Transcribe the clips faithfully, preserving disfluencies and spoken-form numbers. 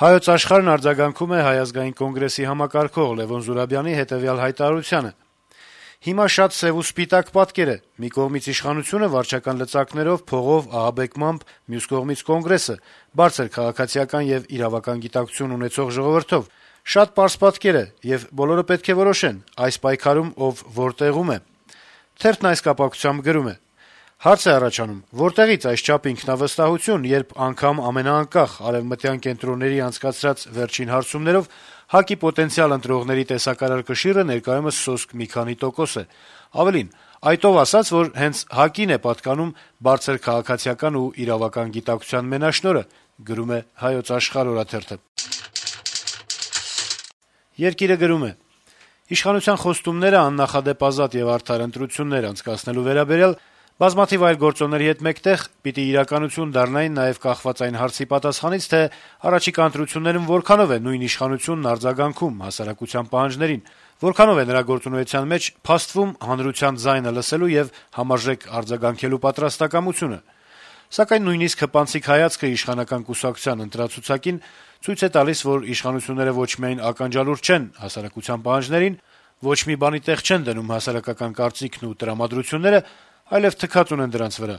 Հայոց աշխարհն արձագանքում է Հայ ազգային կոնգրեսի համակարգող Լեւոն Զուրաբյանի հետեւյալ հայտարարությանը. - «Հիմա շատ սեւ ու սպիտակ պատկեր է. մի կողմից իշխանությունը վարչական լծակներով, փողով, ահաբեկմամբ, մյուս կողմից Կոնգրեսը, բարձր քաղաքացիական եւ իրավական գիտակցություն ունեցող ժողովրդով: Շատ պարզ պատկեր է, եւ բոլորը պետք է որոշեն` այս պայքարում ով որտեղում է»: Թերթն այս կապակցությամբ գրում է. - «Հարց է առաջանում` որտեղից այսչափ ինքնավստահություն, երբ անգամ ամենաանկախ արեւմտյան կենտրոնների անցկացրած վերջին հարցումներով ՀԱԿ-ի պոտենցիալ ընտրողների տեսակարար կշիռը ներկայումս սոսկ մի քանի տոկոս է: Ավելին, այդ ով ասաց, որ հենց ՀԱԿ-ին է պատկանում բարձր քաղաքացիական ու իրավական գիտակցության մենաշնորհը»: «Երկիր»-ը գրում է. - «Իշխանության խոստումները աննախադեպ ազատ եւ արդար ընտրություններ անցկացնելու վերաբերյալ բազմաթիվ այլ գործոնների հետ մեկտեղ պիտի իրականություն դառնային նաեւ կախված այն հարցի պատասխանից, թե առաջիկա ընտրություններում որքանով է նույն իշխանությունն արձագանքում հասարակության պահանջներին, որքանով է նրա գործունեության մեջ փաստվում հանրության ձայնը լսելու եւ համարժեք արձագանքելու պատրաստակամությունը: Սակայն նույնիսկ հպանցիկ հայացքը իշխանական կուսակցության ընտրացուցակին ցույց է տալիս, որ իշխանությունները ոչ միայն ականջալուր չեն հասարակության պահանջներին, ոչ մի բանի տեղ չեն դնում հասարակական կարծիքն ու տրամադրությունները, այլեւ թքած ունեն դրանց վրա»: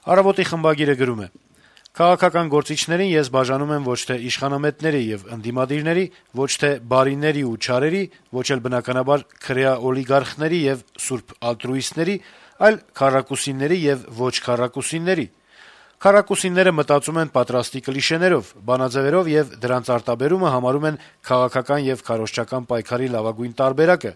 «Առավոտ»-ի խմբագիրը գրում է. - «Քաղաքական գործիչներին ես բաժանում եմ ոչ թե իշխանամետների եւ ընդդիմադիրների, ոչ թե բարիների ու չարերի, ոչ էլ բնականաբար քրեա օլիգարխների եւ սուրբ ալտրուիստների, այլ քառակուսիների եւ ոչ քառակուսիների: Քառակուսիները մտածում են պատրաստի կլիշեներով, բանաձեւերով եւ դրանց արտաբերումը համարում են քաղաքական եւ քարոզչական պայքարի լավագույն տարբերակը: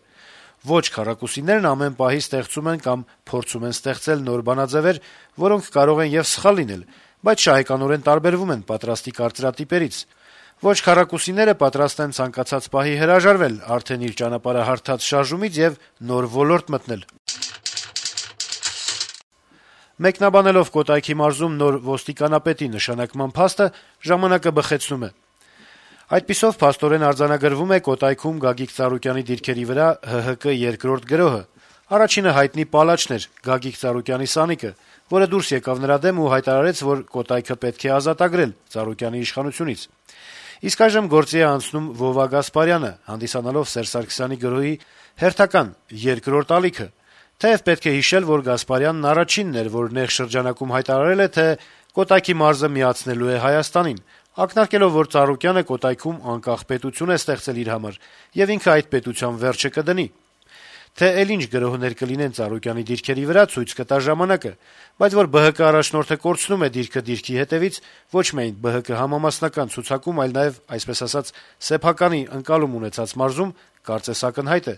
Ոչ քառակուսիներն ամեն պահի ստեղծում են կամ փորձում են ստեղծել նոր բանաձեւեր, որոնք կարող են եւ սխալ լինել, բայց շահեկանորեն տարբերվում են պատրաստի կարծրատիպերից: Ոչ քառակուսիները պատրաստ են ցանկացած պահի հրաժարվել արդեն իր ճանապարհը հարթած շարժումից եւ նոր ոլորտ մտնել»: Մեկնաբանելով Կոտայքի մարզում նոր ոստիկանապետի նշանակման փաստը` «Ժամանակ»-ը բխեցնում է. - «Այդպիսով փաստորեն արձանագրվում է Կոտայքում Գագիկ Ծառուկյանի դիրքերի վրա ՀՀԿ երկրորդ գրոհը: Առաջինը հայտնի պալաչն էր` Գագիկ Ծառուկյանի սանիկը, որը դուրս եկավ նրա դեմ ու հայտարարեց, որ Կոտայքը պետք է ազատագրել Ծառուկյանի իշխանությունից: Իսկ այժմ գործի է անցնում Վովա Գասպարյանը` հանդիսանալով Սերժ Սարգսյանի գրոհի հերթական, երկրորդ ալիքը: Թեեւ պետք է հիշել, որ Գասպարյանն առաջինն էր, որ նեղ շրջանակում հայտարարել է, թե Կոտայքի մարզը միացնելու է Հայաստանին, ակնարկելով, որ Ծառուկյանը Կոտայքում անկախ պետություն է ստեղծել իր համար, եւ ինքը այդ պետության վերջը կդնի: Թե էլ ինչ գրոհներ կլինեն Ծառուկյանի դիրքերի վրա, ցույց կտա ժամանակը, բայց որ ԲՀԿ առաջնորդը կորցնում է դիրքը դիրքի հետեւից, ոչ միայն ԲՀԿ համամասնական ցուցակում, այլ նաեւ, այսպես ասած, սեփականի ընկալում ունեցած մարզում, կարծես ակնհայտ է»: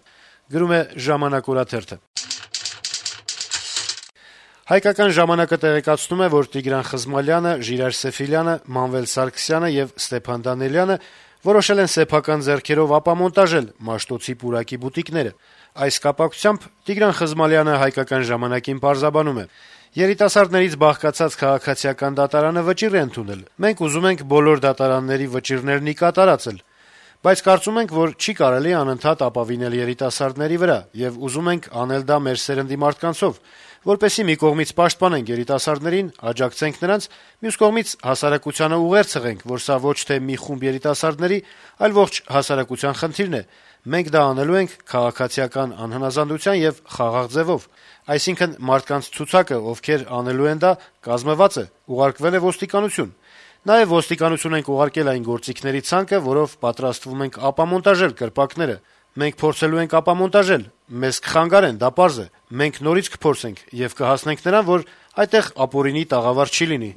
«Հայկական ժամանակ»-ը տեղեկացնում է, որ Տիգրան Խզմալյանը, Ժիրայր Սեֆիլյանը, Մանվել Սարգսյանը եւ Ստեփան Դանիելյանը որոշել են սեփական ձեռքերով ապամոնտաժել Մաշտոցի պուրակի բուտիկները: Այս կապակցությամբ Տիգրան Խզմալյանը «Հայկական ժամանակ»-ին պարզաբանում է. - «Երիտասարդներից բաղկացած քաղաքացիական դատարանը վճիռ է ընդունել: Մենք ուզում ենք բոլոր դատարանների վճիռներն ի կատարած ել: Բայց կարծում ենք, որ չի կարելի անընդհատ ապավինել երիտասարդների վրա, եւ ուզում ենք անել դա մեր սերնդի մարդկանցով, որպեսզի մի կողմից պաշտպանենք երիտասարդներին, աջակցենք նրանց, մյուս կողմից հասարակությանը ուղերձ հղենք, որ սա ոչ թե մի խումբ երիտասարդների, այլ ողջ հասարակության խնդիրն է: Մենք դա անելու ենք քաղաքացիական անհնազանդության եւ խաղաղ ձեւով: Այսինքն մարդկանց ցուցակը, ովքեր անելու են դա, կազմված է, ուղարկվել է ոստիկանություն: Նաեւ ոստիկանություն ենք ուղարկել այն գործիքների ցանկը, որով պատրաստվում ենք ապամոնտաժել կրպակները: Մենք փորձելու ենք ապամոնտաժել: Մեզ կխանգարեն, դա պարզ է: Մենք նորից կփորձենք եւ կհասնենք նրան, որ այդտեղ ապօրինի տաղավար չի լինի»: